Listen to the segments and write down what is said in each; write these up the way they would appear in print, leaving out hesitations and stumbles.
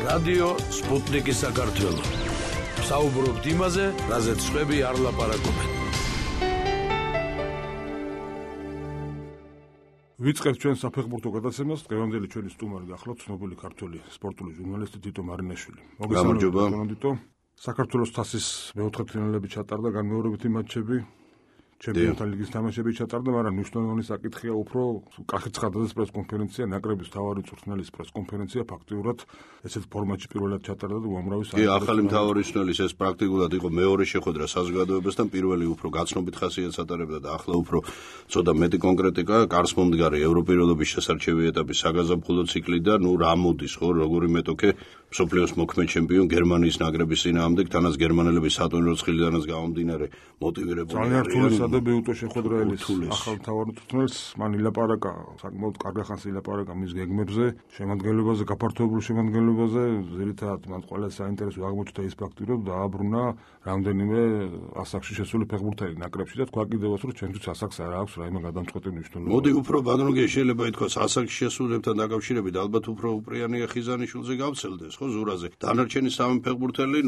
რადიო სპუტნიკი საქართველო. საუბრობთ იმაზე, რაზეც სხვები არ ლაპარაკობენ. ვიწყებთ ჩვენ საფეხბურთო გადაცემას. დღევანდელი ჩვენი სტუმარი გახლავთ ცნობილი ქართველი სპორტული ჟურნალისტი თითო მარინაშვილი. გამარჯობა. საქართველოს თასის მეოთხედფინალები ჩატარდა, განმეორებითი მატჩები. ჩემპიონთა ლიგის თამაშები ჩატარდა, მაგრამ მნიშვნელოვანი საკითხია უფრო კახეთ ცხადაძის პრესკონფერენცია, ნაკრების მთავარი მწვრთნელის პრესკონფერენცია ფაქტიურად ესეთ ფორმატში პირველად ჩატარდა და უამრავი ახალი მთავარი მწვრთნელის ეს პრაქტიკულად იყო მეორე შეხვედრა საზოგადოებასთან, პირველი უფრო გაცნობით ხასიათს ატარებდა და ახლა უფრო ცოტა მეტი კონკრეტიკა, კარს მომდგარი ევროპიროლობის შესარჩევი ეტაპის საგაზაფხულო ციკლი და რა მოდის ხო, როგორი მეტოქე მსოფლიოს მოქმედ ჩემპიონ გერმანიის ნაკრების წინააღმდეგ, თანაც გერმანელები სატურნირო ცხრილიდანაც გამომდინარე მოტივირებული და ბეუტო შეხვედრა ელის ახალ მთავარ მწვრთნელს, მან ილაპარაკა, საკმაოდ კარგ ხანს ილაპარაკა მის გეგმებზე, შემადგენლობაზე, გაფართოებულ შემადგენლობაზე, ზირითადად მან ყველა საინტერესო აღმოჩნდა ის ფაქტი, რომ დააბრუნა რამდენიმე ასაკში შესული ფეხბურთელი ნაკრებში და თქვა კიდევაც, რომ ჩვენთვის ასაკს არ აქვს რაიმე გადამწყვეტი მნიშვნელობა. მოდი უფრო ბანროგე შეიძლება ითქვას ასაკში შესულებთან დაკავშირებით ალბათ უფრო უპრიანია ხიზანიშვილზე გავცელდეს, ხო, ზურაზე. დანარჩენი სამი ფეხბურთელი,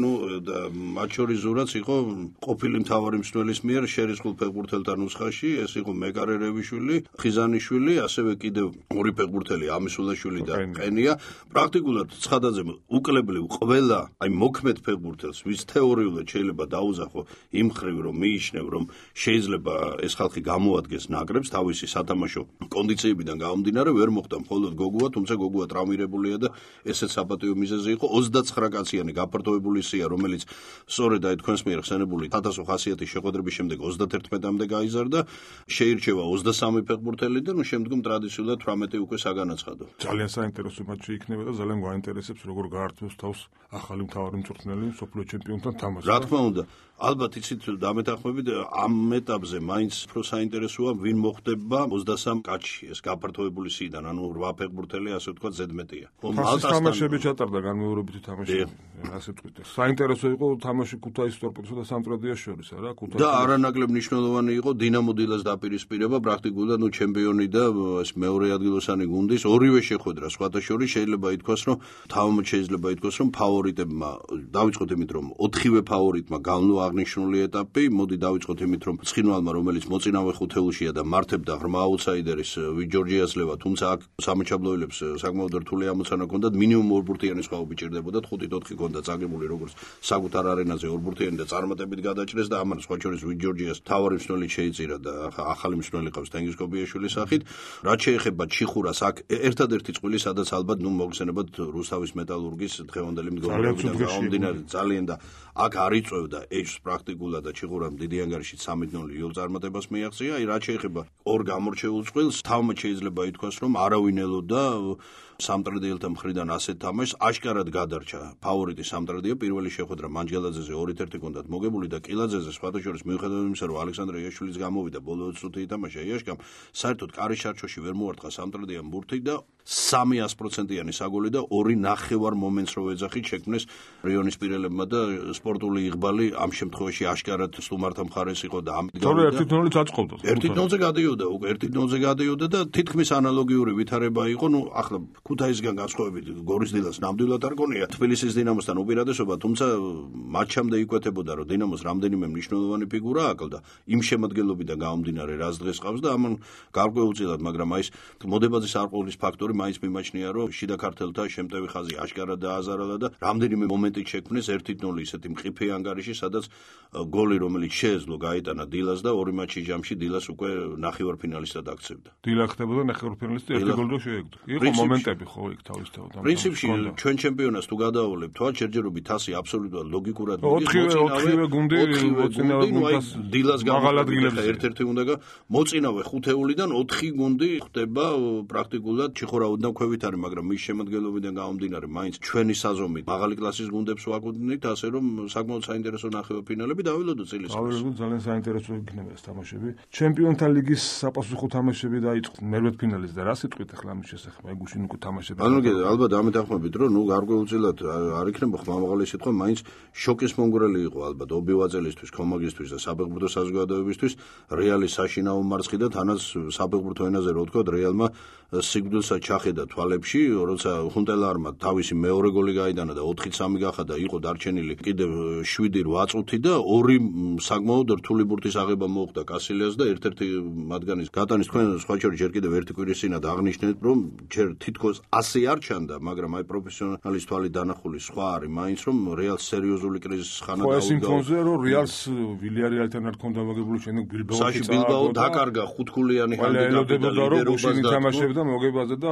მათ შორის ზურაც იყო ყოფილი მთავარი მწვრთნელის მიერ შერისხულ ფეხბურთელთა ნუსხაში, ეს იყო მეკარერევიშვილი, ხიზანიშვილი, ასევე კიდევ ორი ფეხბურთელი ამისულაშვილი და ყენია. პრაქტიკულად ცხადაძემ უკლებლივ ყველა, მოქმედ ფეხბურთელს, ვის თეორიულად შეიძლება დაუზახო იმ ხრივ, რომ მიიჩნევ, რომ შეიძლება ეს ხალხი გამოადგეს ნაკრებს თავისი სათამაშო კონდიციებიდან გამომდინარე, ვერ მოხდა მხოლოდ გოგუა, თუმცა გოგუა ტრავმირებულია და ესეც საპატიო მიზეზი იყო. 29 კაციანი გაფართოებული სია, რომელიც სწორედ თქვენს მიერ ხსენებული 1500 შეხვედრების შემდეგ 31-მდე გაიზარდა, შეირჩევა 23 ფეხბურთელი და შემდგომ ტრადიციულად 18 უკვე საგანაცხადო. ძალიან საინტერესო მატჩი იქნება და ძალიან გვაინტერესებს როგორ გაართმევს თავს ახალი მთავარი მწვრთნელი მსოფლიო ჩემპიონთან თამაშს. რა თქმა უნდა, ალბათ იცით დამეთანხმებით ამ ეტაპზე მაინც უფრო საინტერესოა ვინ მოხდება 23 კაცში, ეს გაფართოებული სიიდან, ანუ 8 ფეხბურთელი ასე ვთქვათ ზედმეტია. მალტასთან თამაშები ჩატარდა განმეორებითი თამაშები, ასე ვთქვით. საინტერესო იყო თამაში ქუთაისის ტორპედოსა და სამტრედიას შორის, არა? და არანაკლებ მნიშვნელოვანი იყო დინამო დილას დაპირისპირება, პრაქტიკულად ჩემპიონი და ეს მეორე ადგილოსანი გუნდის ორივე შეხვედრა სხვათა შორის შეიძლება ითქვას, რომ თავმოწ შეიძლება ითქვას, რომ ფავორიტებმა დავიწყოთ იმით, რომ 4-ვე ფავორიტმა განვლო აღნიშნული ეტაპი, მოდი დავიწყოთ იმით, რომ ცხინვალმა, რომელიც მოწინავე ხუთეულშია და მართებდა ღრმა აუტსაიდერის ვიჯორჯიას ლევა, თუმცა აქ სამაჩაბლოელებს საკმაოდ რთული ამოცანა ჰქონდათ, მინიმუმ ორბურთიანი სხვაობი ჭირდებოდათ, 5-4 ჰქონდა წაგებული როგორც საკუთარ არენაზე ორბურთიანი და წარმატებით გადაჭრეს და ამან სხვა შორის ვიჯორჯიას თავარი მწვრთნელი შეიწირა და ახალი მწვრთნელი ყავს თენგიზ კობიაშვილის სახით. რაც შეეხება ჩიხურას, აქ ერთადერთი წყვილი, სადაც ალბათ მოგხსენებათ რუსთავის მეტალურგის დღევანდელი მდგომარეობიდან გამომდინარე ძალიან და აქ არ იწევდა ეჭვს პრაქტიკულად და ჩიხურამ დიდი ანგარიში 3-0 იოლ წარმატებას მიაღწია. რაც შეეხება ორ გამორჩეულ წყვილს, თავმოწ შეიძლება ითქვას, რომ არავინ ელოდა სამტრედიელთა მხრიდან ასეთ თამაშს, აშკარად გადარჩა ფავორიტი სამტრედია, პირველი შეხვედრა მანჯგელაძეზე 2-1 ჰქონდათ მოგებული და კილაძეზე სხვათა შორის მიუხედავად იმისა, რომ ალექსანდრე იაშვილიც გამოვიდა ბოლო 20 წუთი ითამაშა იაშკამ, საერთოდ კარის ჩარჩოში ვერ მოარტყა სამტრედიამ ბურთი და 300%-იანი საგოლი და 2.5 მომენტს რო ეძახით შექმნეს რიონის პირელებმა და სპორტული იღბალი ამ შემთხვევაში აშკარად სტუმართა მხარეს იყო და ამით გამოვიდა. 1-0-ით აწყობდა. 1-0-ზე გადიოდა, უკვე 1-0-ზე გადიოდა და თითქმის ანალოგიური ვითარება იყო, ახლა ქუთაისგან განსხვავებით გორის დილას ნამდვილად არ გონია თბილისის დინამოსთან უპირატესობა, თუმცა მატჩამდე იკვეთებოდა, რომ დინამოს რამდენიმე მნიშვნელოვანი ფიგურა აკლდა იმ შემადგენლობიდან გამომდინარე, რაც დღეს ყავს და ამან გარკვეულწილად, მაგრამ ეს მოდებაძის არყულის ფაქტორი მაინც მიმაჩნია, რომ შიდა ქართელთა შემტევი ხაზი აშკარად დააზარალა და რამდენიმე მომენტით შექმნეს 1-0 ისეთი მყიფე ანგარიში, სადაც გოლი, რომელიც შეეძლო გაიტანა დილას და ორი მატჩის ჯამში დილას უკვე ნახევარფინალისტად აქცევდა. დილა ხდებოდა ნახევარფინალისტი, ერთი გოლი რო შეეგდო. იყო მომენტები ხო იქ თავისთავად. პრინციპში ჩვენ ჩემპიონატს თუ გადავავლებ, თვალ შეჯერობით თასი აბსოლუტურად ლოგიკურად მიდის. 4-ვე გუნდი მოწინავე გუნდს დილას გამოგადა ერთ-ერთი უნდა მოწინავე ხუთეულიდან 4 გუნდი ხდება პრაქტიკულად ჩიხურა უდან ქვევით არის, მაგრამ მის შემადგენლობიდან გამომდინარე, მაინც ჩვენი საზომით მაღალი კლასის გუნდებს ვაკუთვნით, ასე რომ საკმაოდ საინტერესო ნახევარფინალები დავილოდო წილის. დავილოდო, ძალიან საინტერესო იქნება ეს თამაშები. ჩემპიონთა ლიგის საპასუხო თამაშები დაიწყო მერვედფინალის და რა სიტყვით ახლა ამის შესახებ, აი გუშინ უკვე თამაშები. ანუ ალბათ ამეთანხმებით, რომ გარკვეულწილად არ იქნება ხმამაღალი სიტყვა, მაინც შოკის მომგვრელი იყო ალბათ ობივაძელისთვის, კომაგისთვის და საფეხბურთო საზოგადოებისთვის რეალის საშინაო მარცხი და თანაც საფეხბურთო ენაზე რო ვთქვა, რეალმა სიკვდილსაც ჩახედა თვალებში, როცა ხუნტელარმა თავისი მეორე გოლი გაიტანა და 4-3 გახადა, იყო დარჩენილი კიდევ 7-8 წუთი და ორი საკმაოდ რთული ბურთის აღება მოუხდა კასილიას და ერთ-ერთი მათგანის გატანის თქვენ სხვა შორის ჯერ კიდევ ერთი კვირის წინათ აღნიშნეთ, რომ ჯერ თითქოს ასე არ ჩანდა, მაგრამ აი პროფესიონალის თვალით დანახული სხვა არის მაინც, რომ რეალს სერიოზული კრიზისის ხანა დაუდგა. ეს იმფონზე რომ რეალს ვილიარეალთან არ ქონდა მოგებული შემდეგ ბილბაო დაკარგა 5-ქულიანი ჰანდიკაპი და ლიდერობას თამაშობდა მოგებაზე და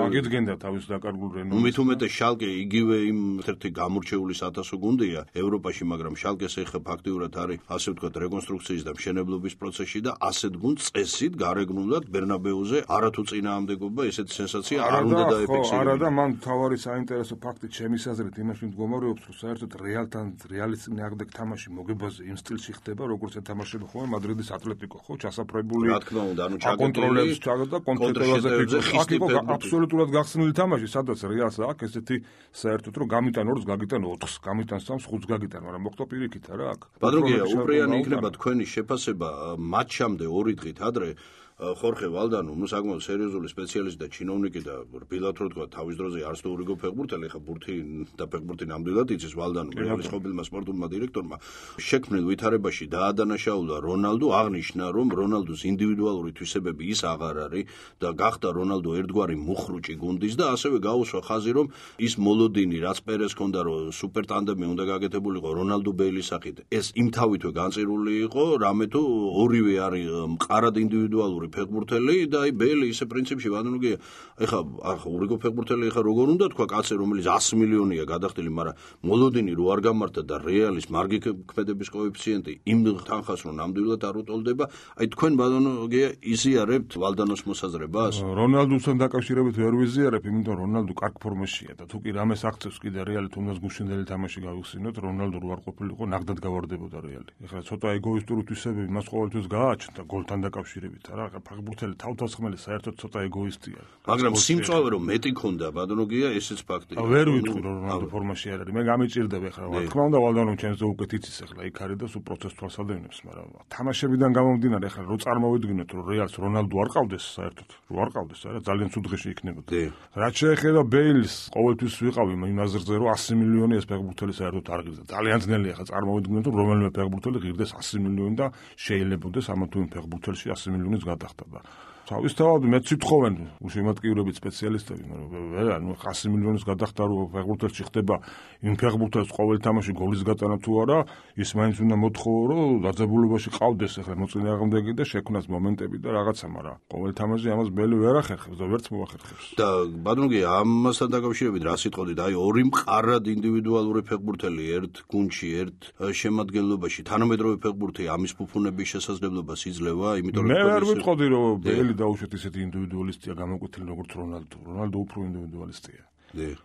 აგედგენდა თავის დაკარგულ რენომეს. მით უმეტეს შალკე იგივე იმ ერთ-ერთი გამორჩეული საათასო გუნდია ევროპაში, მაგრამ შალკეს ეხა ფაქტიურად არის ასე ვთქვათ რეკონსტრუქციის და მშენებლობის პროცესში და ასეთ გუნდს წესით გარეგნულად ბერნაბეუზე არათუ წინააღმდეგობა ესეთი სენსაცია არ უნდა დაეფიქსირებინა. არა და მან თავარი საინტერესო ფაქტი ჩემის აზრით იმაში მდგომარეობს, რომ საერთოდ რეალთან რეალის წინააღმდეგ თამაში მოგებაზე იმ სტილში ხდება, როგორც ეთამაშება ხოლმე მადრიდის ატლეტიკო, ხო, ჩასაფრებული. რა თქმა უნდა, ანუ კონტროლებს ჩაგდა კონტროლებზე აქ იყო აბსოლუტურად გახსნილი თამაში, სადაც რეალს აქვს ესეთი საერთოდ რომ გამიტან 2-ს, გაგიტან 4-ს, გამიტან 3-ს, 5-ს გაგიტან, მაგრამ მოხდა პირიქით არა აქ. ბადროგია, უპრიანი იქნება თქვენი შეფასება მატჩამდე 2 დღით ადრე. ხორხე ვალდანო, ნუ საკმაოდ სერიოზული სპეციალისტი და ჩინოვნიკი და რბილად რო თქვა თავის დროზე არც თუ ურიგო ფეხბურთელი, ხა ბურთი და ფეხბურთი ნამდვილად იცის ვალდანო, რეალის ყოფილმა სპორტულმა დირექტორმა შექმნილ ვითარებაში დაადანაშაულა რონალდო, აღნიშნა რომ რონალდოს ინდივიდუალური თვისებები ის აღარ არის და გახდა რონალდო ერთგვარი მუხრუჭი გუნდის და ასევე გაუსვა ხაზი რომ ის მოლოდინი რაც პერეს ჰქონდა რომ სუპერ ტანდემი უნდა გაკეთებულიყო რონალდო ბეილის სახით, ეს იმთავითვე განწირული იყო, რამე თუ ორივე არის მყარად ინდივიდუალური ფეხბურთელი და აი ბელი ისე პრინციპში ვანუგია ეხა ურიგო ფეხბურთელი ეხა როგორ უნდა თქვა კაცი რომელიც 100 მილიონია გადახდილი, მაგრამ მოლოდინი რო არ გამართა და რეალის მარგი ქმედების კოეფიციენტი იმ თანხას რომ ნამდვილად არ უტოლდება, აი თქვენ ვანუგია იზიარებთ ვალდანოს მოსაზრებას? რონალდოსთან დაკავშირებით ვერ ვიზიარებ, იმიტომ რონალდო კარგ ფორმაშია და თუ კი რამეს აქცევს კიდე რეალი თუნდაც გუშინდელი თამაში გავიხსენოთ, რონალდო რო არ ყოფილიყო ნახდად გავარდებოდა რეალი. ეხლა ცოტა ეგოისტური თვისებები მას ყოველთვის გააჩნდა გოლთან დაკავშირებით, არა? ფეხბურთელი თავდასხმელი საერთოდ ცოტა ეგოისტია. მაგრამ სიმწვავე რომ მეტი ქონდა ბადროგია, ესეც ფაქტია. ვერ ვიტყვი რომ რონალდო ფორმაში არ არის. მე გამიჭირდება ეხლა, რა თქმა უნდა, ვალდანო ჩემზე უკეთ იცის ეხლა იქ არის და სულ პროცესს თვალსადევნებს, მაგრამ თამაშებიდან გამომდინარე ეხლა რო წარმოვიდგინოთ რომ რეალს რონალდო არ ყავდეს საერთოდ, რო არ ყავდეს, არა, ძალიან ცუდ დღეში იქნებოდა. რაც შეეხება ბეილს, ყოველთვის ვიყავი იმ აზრზე რომ 100 მილიონი ეს ფეხბურთელი საერთოდ არ ღირდა. ძალიან ძნელია ეხლა წარმოვიდგინოთ რომ რომელიმე ფეხბურთელი ღირდეს 100 მილიონი და შეიძლებაოდეს ამა თუ იმ ფეხბურთელში 100 მილიონის გადახდა. თავისთავად მეც ვითხოვენ უშემატკივრებით სპეციალისტები, მაგრამ ნუ 100 მილიონის გადახდა რო ფეხბურთელში ხდება იმ ფეხბურთელს ყოველ თამაში გოლის გატანა თუ არა, ის მაინც უნდა მოთხოვო რომ დაძაბულობაში ყავდეს ახლა მოწინააღმდეგე და შექმნას მომენტები და რაღაცა, მაგრამ ყოველ თამაში ამას ბელი ვერ ახერხებს და ვერც მოახერხებს. და ბადროგია, ამასთან დაკავშირებით რა სიტყოდით, აი ორი მყარად ინდივიდუალური ფეხბურთელი ერთ გუნდში, ერთ შემადგენლობაში, თანამედროვე ფეხბურთი ამის ფუფუნების შესაძლებლობას იძლევა, იმიტომ რომ მე ვერ ვიტყოდი რომ ბელი დაუშვათ ისეთი ინდივიდუალისტია გამოკვეთილი როგორც რონალდო. რონალდო უფრო ინდივიდუალისტია.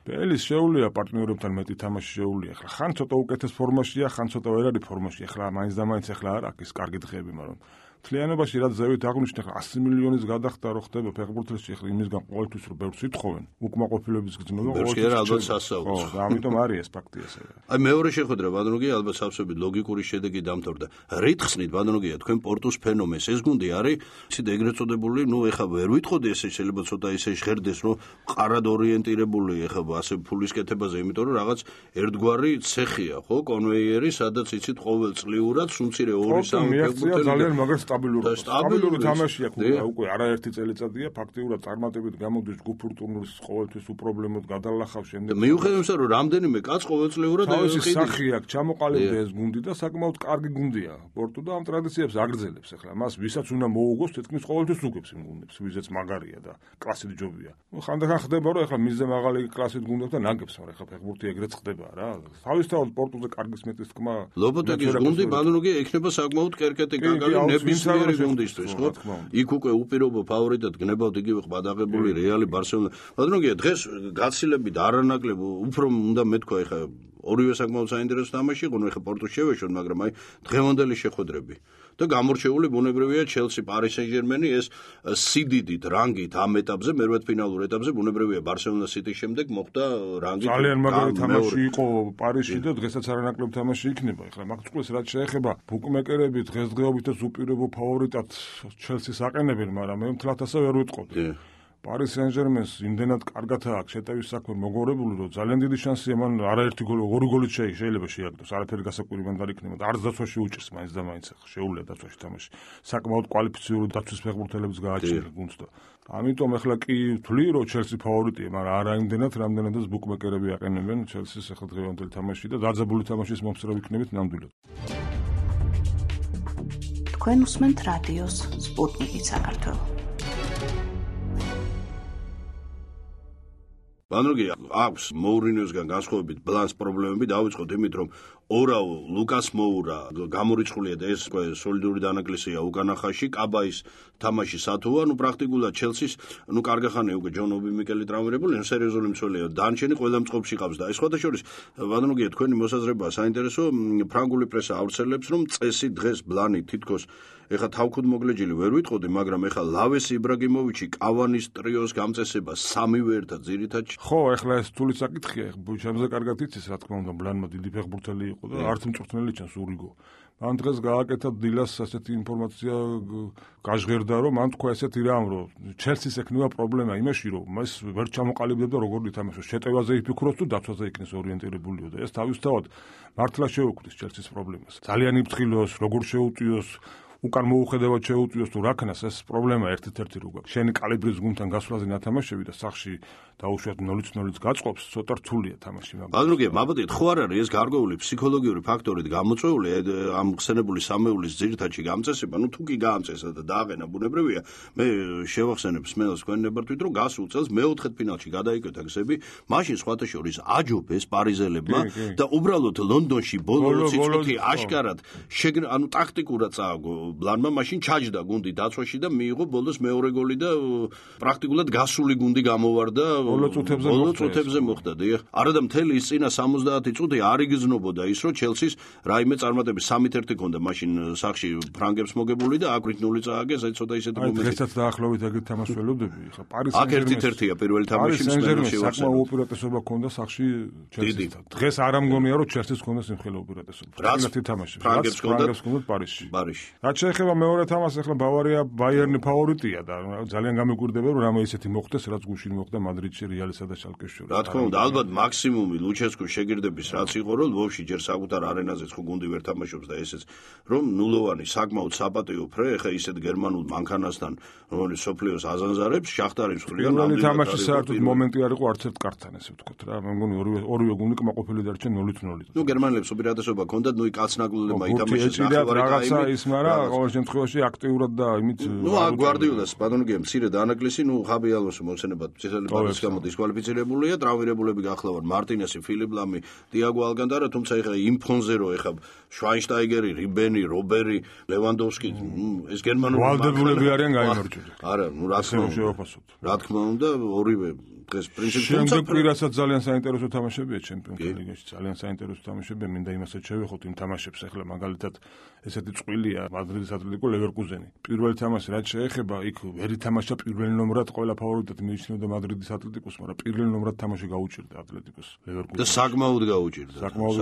ბელის შეუულია პარტნიორებთან მეტი თამაში შეუულია. ახლა ხან ცოტა უკეთეს ფორმაშია, ხან ცოტა ვერ არის ფორმაში. ახლა მაინც და მაინც ახლა არ აქვს კარგი დღეები, მაგრამ მთლიანობაში რაც ზევით აღნიშნე, ახლა 100 მილიონის გადახდა რო ხდება ფეხბურთელში, ახლა იმისგან ყოველთვის რომ ბევრს ვითხოვენ, უკმაყოფილების გრძნობა ყოველთვის ალბათ სასაუბრს. და ამიტომ არის ეს ფაქტი ესე. აი მეორე შეხვედრა ბადროგია ალბათ სავსებით ლოგიკური შედეგი დამთავრდა. რით ხსნით ბადროგია თქვენ პორტუს ფენომენს? ეს გუნდი არის ისე ეგრეთ წოდებული, ნუ ეხლა ვერ ვითხოვდი ესე შეიძლება ცოტა ისე ჟღერდეს, რომ ყარად ორიენტირებული ეხლა ასე ფულის კეთებაზე, იმიტომ რომ რაღაც ერთგვარი ცეხია, ხო, კონვეიერი, სადაც იცით ყოველწლიურად სუმცირე 2-3 ფეხბურთელი ძალიან მაგას სტაბილური თამაშია უკვე არაერთი წელიწადია ფაქტიურად წარმატებით გამოდის ჯგუფურ ტურნირს ყოველთვის უპრობლემოდ გადალახავს შემდეგ. მიუხედავად იმისა, რომ რამდენიმე კაც ყოველწლიურად თავისი სახი აქვს, ჩამოყალიბდა ეს გუნდი და საკმაოდ კარგი გუნდია. პორტუ და ამ ტრადიციებს აგრძელებს ახლა. მას ვისაც უნდა მოუგოს, თითქმის ყოველთვის უგებს იმ გუნდებს, ვიზეც მაგარია და კლასით ჯობია. ხანდახან ხდება, რომ ახლა მისზე მაღალი კლასით გუნდებს და ნაგებს, მაგრამ ახლა ფეხბურთი ეგრეთ ხდება რა. თავისთავად პორტუზე კარგი სმეთის თქმა. ლოპოტეგის გუნდი ბადროგია ექნება საკმაოდ კერკეტი კაკალი ნებისმიერი გუნდისთვის, ხო? იქ უკვე უპირობო ფავორიტად გნებავთ იგივე ყბადაღებული რეალი ბარსელონა. ბადროგია დღეს გაცილებით არანაკლებ უფრო უნდა მეთქვა ეხა ორივე საკმაოდ საინტერესო თამაში იყო, ეხა პორტუს შევეშოთ, მაგრამ აი დღევანდელი შეხვედრები და გამორჩეული ბუნებრივია ჩელსი, პარი სენ-ჟერმენი, ეს სიდიდით, რანგით ამ ეტაპზე, მერვედფინალურ ეტაპზე ბუნებრივია ბარსელონა სიტის შემდეგ მოხდა რანგით. ძალიან მაგარი თამაში იყო პარიზში და დღესაც არანაკლებ თამაში იქნება. ეხლა მაგ წყვილს რაც შეეხება ბუკმეკერები დღესდღეობით უპირობო ფავორიტად ჩელსის აყენებენ, მაგრამ მე მთლად ასე ვერ ვიტყოდი. Paris Saint-Germain-ს იმდენად კარგად აქვს შეტევის საქმე მოგორებული, რომ ძალიან დიდი შანსია მან არაერთი გოლი, ორი გოლით შეიძლება შეაგდოს, არაფერი გასაკვირი მან არ იქნება და არც დაცვაში უჭირს მაინც და მაინც ახლა შეუძლია დაცვაში თამაში. საკმაოდ კვალიფიციური დაცვის ფეხბურთელებს გააჩნია გუნდს და ამიტომ ახლა კი ვთვლი, რომ Chelsea ფავორიტია, მაგრამ არა იმდენად, რამდენადაც ბუკმეკერები აყენებენ Chelsea-ს ახლა დღევანდელი თამაში და დაძაბული თამაშის მომსწრე ვიქნებით ნამდვილად. თქვენ უსმენთ რადიოს სპუტნიკი საქართველოს. ბანროგი აქვს მოურინიოსგან განსხვავებით ბლანს პრობლემები დავიწყოთ იმით რომ ორაო ლუკას მოურა გამორიცხულია და ეს სოლიდური დანაკლისია უკანახაში კაბაის თამაში სათუა პრაქტიკულად ჩელსის კარგახანია უკვე ჯონ ობი მიკელი ტრავმირებული სერიოზული მცველია დანჩენი ყველა მწყობში ყავს და ეს სხვადასხვა ბანროგი თქვენი მოსაზრებაა საინტერესო ფრანგული პრესა ავრცელებს რომ წესი დღეს ბლანი თითქოს ეხა თავქუდმოგლეჯილი ვერ ვიტყოდი, მაგრამ ეხა ლავეს იბრაგიმოვიჩი, კავანის ტრიოს გამწესება სამივე ერთად ძირითადში. ხო, ეხლა ეს თული საკითხია, ჩემზე კარგად იცის, რა თქმა უნდა, ბლანმა დიდი ფეხბურთელი იყო და არც მწვრთნელი ჩანს ურიგო. მან დღეს გააკეთა დილას ასეთი ინფორმაცია გაჟღერდა, რომ მან თქვა ესეთი რამ, რომ ჩელსის ექნება პრობლემა იმაში, რომ ეს ვერ ჩამოყალიბდება როგორ ითამაშოს. შეტევაზე იფიქროს თუ დაცვაზე იქნეს ორიენტირებულიო და ეს თავისთავად მართლა შეუქმნის ჩელსის პრობლემას. ძალიან იფრთხილოს, როგორ შეუწიოს უკან მოუხედავად შეუწიოს თუ რა ქნას ეს პრობლემა ერთ-ერთი რო გაქვს. შენი კალიბრის გუნდთან გასვლაზე ნათამაშები და სახში დაუშვათ 0-0-ს გაწყობს, ცოტა რთულია თამაში მაგრამ. ბანროგი, მაბადეთ, ხო არ არის ეს გარკვეული ფსიქოლოგიური ფაქტორით გამოწვეული ამ ხსენებული სამეულის ძირითადში გამწესება, თუ კი გაამწესა და დააყენა ბუნებრივია. მე შევახსენებ სმელს თქვენ ნებართვით, რომ გასულ წელს მეოთხედ ფინალში გადაიკვეთა გზები, მაშინ სხვათა შორის აჯობეს პარიზელებმა და უბრალოდ ლონდონში ბოლო სიწყოთი აშკარად ტაქტიკურად წააგო ბლანმა მაშინ ჩაჯდა გუნდი დაცვაში და მიიღო ბოლოს მეორე გოლი და პრაქტიკულად გასული გუნდი გამოვარდა ბოლო წუთებზე მოხდა. არა და მთელი ის წინა 70 წუთი არ იგრძნობოდა ის რომ ჩელსის რაიმე წარმატების 3-1 ქონდა მაშინ სახში ფრანგებს მოგებული და აკვირით 0 წააგეს აი ცოტა ისეთი მომენტი. დღესაც დაახლოებით ეგრეთ თამაშს ველოდები. ხა Paris აქ 1-1-ია პირველი თამაში მსმენელში საკმაო უპირატესობა ქონდა სახში ჩელსისთან. დღეს არ ამგონია რომ ჩელსის ქონდა სიმხელე უპირატესობა. ერთი თამაში ფრანგებს ქონდა Paris-ში. რაც შეეხება მეორე თამაშს, ახლა ბავარია ბაიერნი ფავორიტია და ძალიან გამიკვირდება რომ რამე ისეთი მოხდეს, რაც გუშინ მოხდა მადრიდში რეალისა და შალკეს შორის. რა თქმა უნდა, ალბათ მაქსიმუმი ლუჩესკუს შეგირდების რაც იყო, რომ ლვოვში ჯერ საკუთარ არენაზეც ხო გუნდი ვერ თამაშობს და ესეც რომ ნულოვანი საკმაოდ საპატიო ფრე, ახლა ისეთ გერმანულ მანქანასთან, რომელიც სოფლიოს აზანზარებს, შახტარის ხრიდან ნამდვილად თამაში საერთოდ მომენტი არ იყო არც ერთ კარტთან, ესე ვთქვათ რა. მე მგონი ორივე გუნდი კმაყოფილი დარჩა 0-0. გერმანელებს უპირატესობა ჰქონდათ, კაცნაგლულებმა ითამაშეს რაღაცა ის, მაგრამ ყოველ შემთხვევაში აქტიურად და იმით გვარდიოლას ბანონგია მცირე დანაკლისი, ხაბი ალონსო მოსენებად წითელი კარტის გამო დისკვალიფიცირებულია, ტრავმირებულები გახლავართ მარტინესი, ფილიპ ლამი, დიაგო ალკანტარა, თუმცა ეხლა იმ ფონზე რო ეხლა შვაინშტაიგერი, რიბენი, რობერი, ლევანდოვსკი, ეს გერმანული ვალდებულები არიან გაიმარჯვებათ. არა, რა თქმა უნდა, ორივე დღეს პრინციპი შემდეგ პირასაც ძალიან საინტერესო თამაშებია ჩემპიონთა ლიგაში, ძალიან საინტერესო თამაშებია, მინდა იმასაც შევეხოთ იმ თამაშებს ახლა მაგალითად ესეთი წყვილია მადრიდის ატლეტიკო ლევერკუზენი. პირველი თამაში რაც შეეხება, იქ ვერ ითამაშა პირველ ნომრად, ყველა ფავორიტად მიიჩნევდა მადრიდის ატლეტიკოს, მაგრამ პირველ ნომრად თამაში გაუჭირდა ატლეტიკოს ლევერკუზენს. და საკმაოდ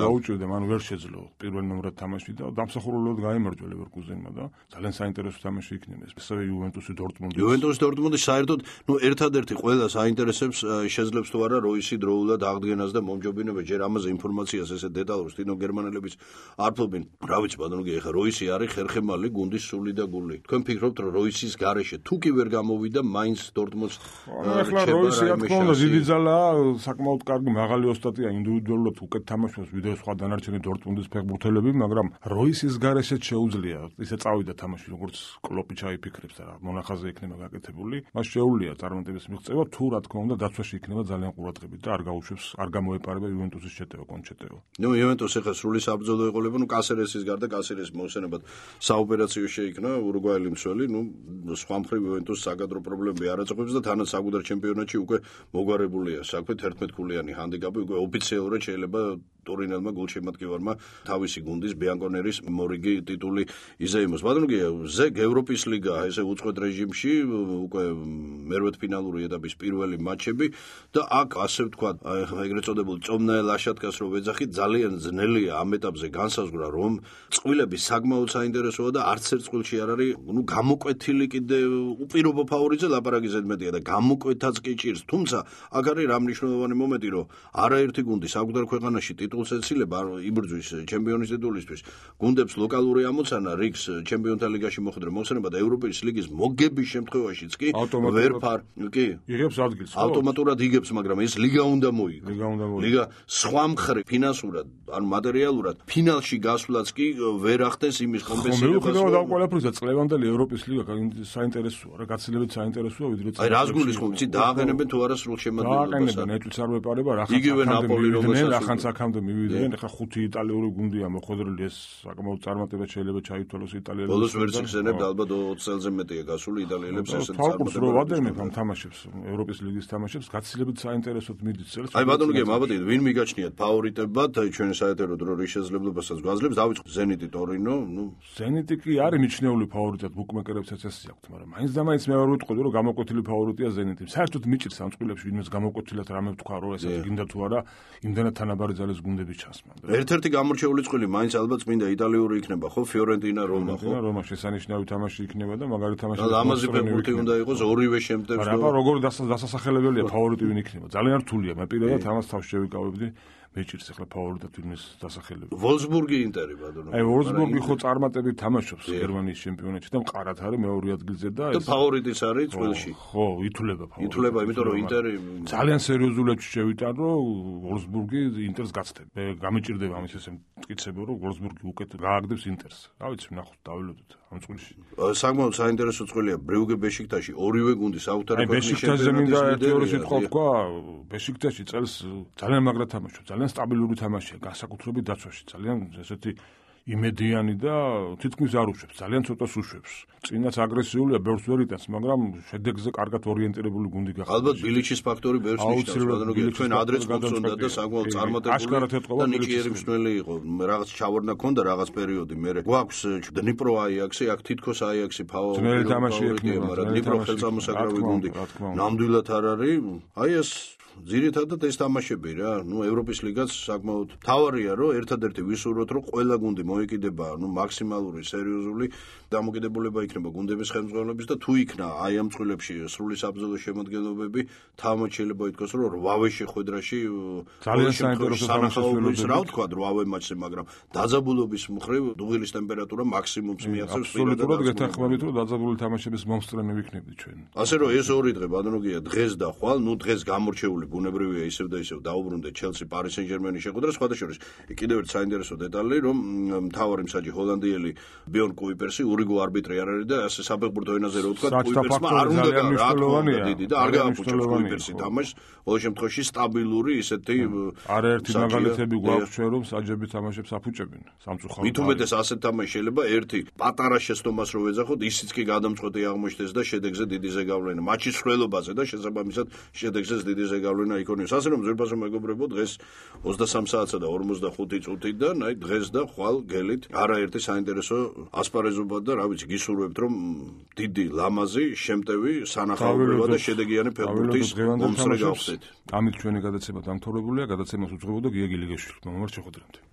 გაუჭირდა, მან ვერ შეძლო პირველ ნომრად თამაში და დამსახურებულად გაიმარჯვა ლევერკუზენმა და ძალიან საინტერესო თამაში იქნება ეს. ასევე იუვენტუსი დორტმუნდი საერთოდ, ერთადერთი ყველა საინტერესებს შეძლებს თუ არა როისი დროულად აღდგენას და მომჯობინებას ჯერ ამაზე ინფორმაციას ესე დეტალურს თინო გერმანელების არ ფლობენ. რა ვიცი ბატონო, ეხა როისი არის ხერხემალი გუნდის სული და გული. თქვენ ფიქრობთ რომ როისის გარეშე თუ კი ვერ გამოვიდა მაინც დორტმუნდს ეხლა როისი რა თქმა უნდა დიდი ძალაა, საკმაოდ კარგი მაღალი ოსტატია, ინდივიდუალურად უკეთ თამაშობს ვიდრე სხვა დანარჩენი დორტმუნდის ფეხბურთელები, მაგრამ როისის გარეშეც შეუძლია ისე წავიდა თამაში როგორც კლოპი ჩაიფიქრებს და მონახაზე იქნება გაკეთებული. მას შეუძლია წარმატების მიღწევა თუ რა თქმა უნდა დაცვაში იქნება ძალიან ყურადღებით და არ გაუშვებს, არ გამოეპარება იუვენტუსის შეტევა კონჩეტეო. იუვენტუსი ახლა სრული საბრძოლო ეყოლება, კასერესის გარდა კასერეს მოსენებად საოპერაციო შეიქმნა ურუგვაელი მცველი, სხვა მხრივ იუვენტუსს საკადრო პრობლემები არ აწყვებს და თანაც საკუთარ ჩემპიონატში უკვე მოგვარებულია საქმე 11 ქულიანი ჰანდიკაპი, უკვე ოფიციალურად შეიძლება ტორინელმა გულშემატკივარმა თავისი გუნდის ბიანკონერის მორიგი ტიტული იზეიმოს. ბატონო, ზეგ ევროპის ლიგა ესე უწყვეტ რეჟიმში უკვე მერვედფინალური ეტაპის პირველი მატჩები თამაშები და აქ ასე ვთქვათ, ეგრეთ წოდებული წომნაელ აშატკას რო ვეძახით, ძალიან ძნელია ამ ეტაპზე განსაზღვრა, რომ წყვილები საკმაოდ საინტერესოა და არც ერთ წყვილში არ არის, გამოკვეთილი კიდე უპირობო ფავორიტზე ლაპარაკი ზედმეტია და გამოკვეთაც კი ჭირს. თუმცა აქ არის რა მნიშვნელოვანი მომენტი, რომ არაერთი გუნდი საკუთარ ქვეყანაში ტიტულს ეცილება, იბრძვის ჩემპიონის ტიტულისთვის. გუნდებს ლოკალური ამოცანა რიგს ჩემპიონთა ლიგაში მოხვედრა მოხსენება და ევროპის ლიგის მოგების შემთხვევაშიც კი იღებს ადგილს. ავტომატურად იღებს, მაგრამ ეს ლიგა უნდა მოიგო. ლიგა სხვა მხრივ ფინანსურად, ანუ მატერიალურად ფინალში გასვლაც კი ვერ ახდენს იმის კომპენსაციას. მიუხედავად ამ ყველაფრისა, წლევანდელი ევროპის ლიგა საინტერესოა, რა გაცილებით საინტერესოა ვიდრე აი რას გულისხმობ, იცი დააყენებენ თუ არა სრულ შემადგენლობას. დააყენებენ, ეჭვიც არ მეპარება, იგივე ნაპოლი ახანს აქამდე მივიდნენ, ეხლა 5 იტალიური გუნდია მოხვედრილი, ეს საკმაოდ წარმატება შეიძლება ჩაითვალოს იტალიელებს. ბოლოს ვერც იხსენებთ, ალბათ 20 წელზე მეტია გასული იტალიელებს ესეთ წარმატებას. რო ვადევნებ ამ თამაშებს, ევროპის ლიგის თამაშებს, გაცილებით საინტერესოდ მიდის წელს. აი ბატონო გემ, აბატონო, ვინ მიგაჩნიათ ფავორიტებად, აი ჩვენ საერთო დრო რის შესაძლებლობასაც გვაძლევს, დავიწყოთ ზენიტი ტორინო, ზენიტი კი არის მიჩნეული ფავორიტად, ბუკმეკერებს წესი აქვთ, მაგრამ მაინც და მაინც მე ვარ ვიტყოდი, რომ გამოკვეთილი ფავორიტია ზენიტი. საერთოდ მიჭირს ამ წყვილებში ვინმეს გამოკვეთილად რამე ვთქვა, რომ ესაც გინდა თუ არა, იმდანაც თანაბარი ძალის გუნდები ჩასმა. ერთ-ერთი გამორჩეული წყვილი მაინც ალბათ წმინდა იტალიური იქნება, ხო, ფიორენტინა რომა, ხო? რომა შესანიშნავი თამაში იქნება და მაგარი თამაში. ლამაზი ფეხბურთი უნდა იყოს ორივე შემტევს. აბა როგორ დასასახელებელია ფავორიტი ვინ იქნება? ძალიან რთულია. მე პირადად ამას თავს შევიკავებდი. მეჭირს ახლა ფავორიტად ვინმეს დასახელება. ვოლსბურგი ინტერი ბატონო. აი ვოლსბურგი ხო წარმატებით თამაშობს გერმანიის ჩემპიონატში და მყარად არის მეორე ადგილზე და ეს ფავორიტიც არის წყვილში. ხო, ითვლება ფავორიტი. ითვლება, იმიტომ რომ ინტერი ძალიან სერიოზულად შევიტან, რომ ვოლსბურგი ინტერს გაცდება. მე გამიჭირდება ამის ესე მტკიცება, რომ ვოლსბურგი უკეთ გააგდებს ინტერს. რა ვიცი, ნახოთ, დაველოდოთ ამ წყვილში. საკმაოდ საინტერესო წყვილია ბრიუგე ბეშიქტაში, ორივე გუნდი საერთოდ ბეშიქტაშზე მინდა ერთი ორი სიტყვა ვთქვა, ბეშიქტაში წელს ძალიან მაგრა თამაშობს. ძალიან სტაბილური თამაშია, განსაკუთრებით დაცვაში, ძალიან ესეთი იმედიანი და თითქმის არ უშვებს, ძალიან ცოტას უშვებს. წინაც აგრესიულია, ბევრს ვერ იტანს, მაგრამ შედეგზე კარგად ორიენტირებული გუნდი გახდა. ალბათ ბილიჩის ფაქტორი ბევრს ნიშნავს, ჩვენ ადრეც მოხსონდა და საკმაოდ წარმატებული და ნიჭიერი მსვლელი იყო. რაღაც ჩავარდნა ქონდა რაღაც პერიოდი, მე გვაქვს დნიპრო აიაქსი, აქ თითქოს აიაქსი ძნელი თამაში ექნება, მაგრამ დნიპრო ხელწამოსაკრავი გუნდი ნამდვილად არ არის. აი ეს ძირითადად ეს თამაშები რა, ევროპის ლიგაც საკმაოდ თავარია, რომ ერთადერთი ვისურვოთ, რომ ყველა გუნდი მოიკიდება, მაქსიმალური სერიოზული დამოკიდებულება იქნება გუნდების ხელმძღვანელობის და თუ იქნა აი ამ წყვილებში სრული საბრძოლო შემადგენლობები, თავმოც შეიძლება ითქვას, რომ 8-ვე შეხვედრაში ძალიან საინტერესო თანახმობის რა ვთქვა 8-ვე მატჩზე, მაგრამ დაძაბულობის მხრივ დუღილის ტემპერატურა მაქსიმუმს მიაღწევს. აბსოლუტურად გეთანხმებით, რომ დაძაბული თამაშების მომსწრენი ვიქნებით ჩვენ. ასე რომ ეს ორი დღე ბატონოგია დღეს და ხვალ, დღეს გამორჩეული ბუნებრივია ისევ და ისევ დაუბრუნდეთ ჩელსი პარი სენ-ჟერმენის შეხვედრა. სხვათა შორის კიდევ ერთი საინტერესო დეტალი, რომ მთავარი მსაჯი ჰოლანდიელი ბიორნ კუიპერსი ურიგო არბიტრი არ არის და ასე საფეხბურთო ენაზე რო ვთქვა, კუიპერსმა არ უნდა დიდი და არ გააფუჭებს კუიპერსი თამაშს. ყოველ შემთხვევაში სტაბილური ისეთი არაერთი მაგალითები გვაქვს ჩვენ, რომ საჯები თამაშებს აფუჭებენ სამწუხაროდ. მით უმეტეს ასეთ თამაში შეიძლება ერთი პატარა შეცდომას რო ვეძახოთ, ისიც კი გადამწყვეტი აღმოჩნდეს და შედეგზე დიდი ზეგავლენა. მატჩის ხველობაზე და შესაბამისად შედეგზე დიდი ზეგავლენა იქონიოს. ასე რომ ზურბასო მეგობრებო, დღეს 23 საათსა და 45 წუთიდან, აი დღეს და ხვალ გელით არაერთი საინტერესო ასპარეზობა და რა ვიცი, გისურვებთ რომ დიდი ლამაზი, შემტევი, სანახაობრივი და შედეგიანი ფეხბურთის მომსწრე გავხდეთ. ამით ჩვენი გადაცემა დამთავრებულია, გადაცემას უძღვებოდა გია გილიგაშვილი. მომავალ შეხვედრამდე.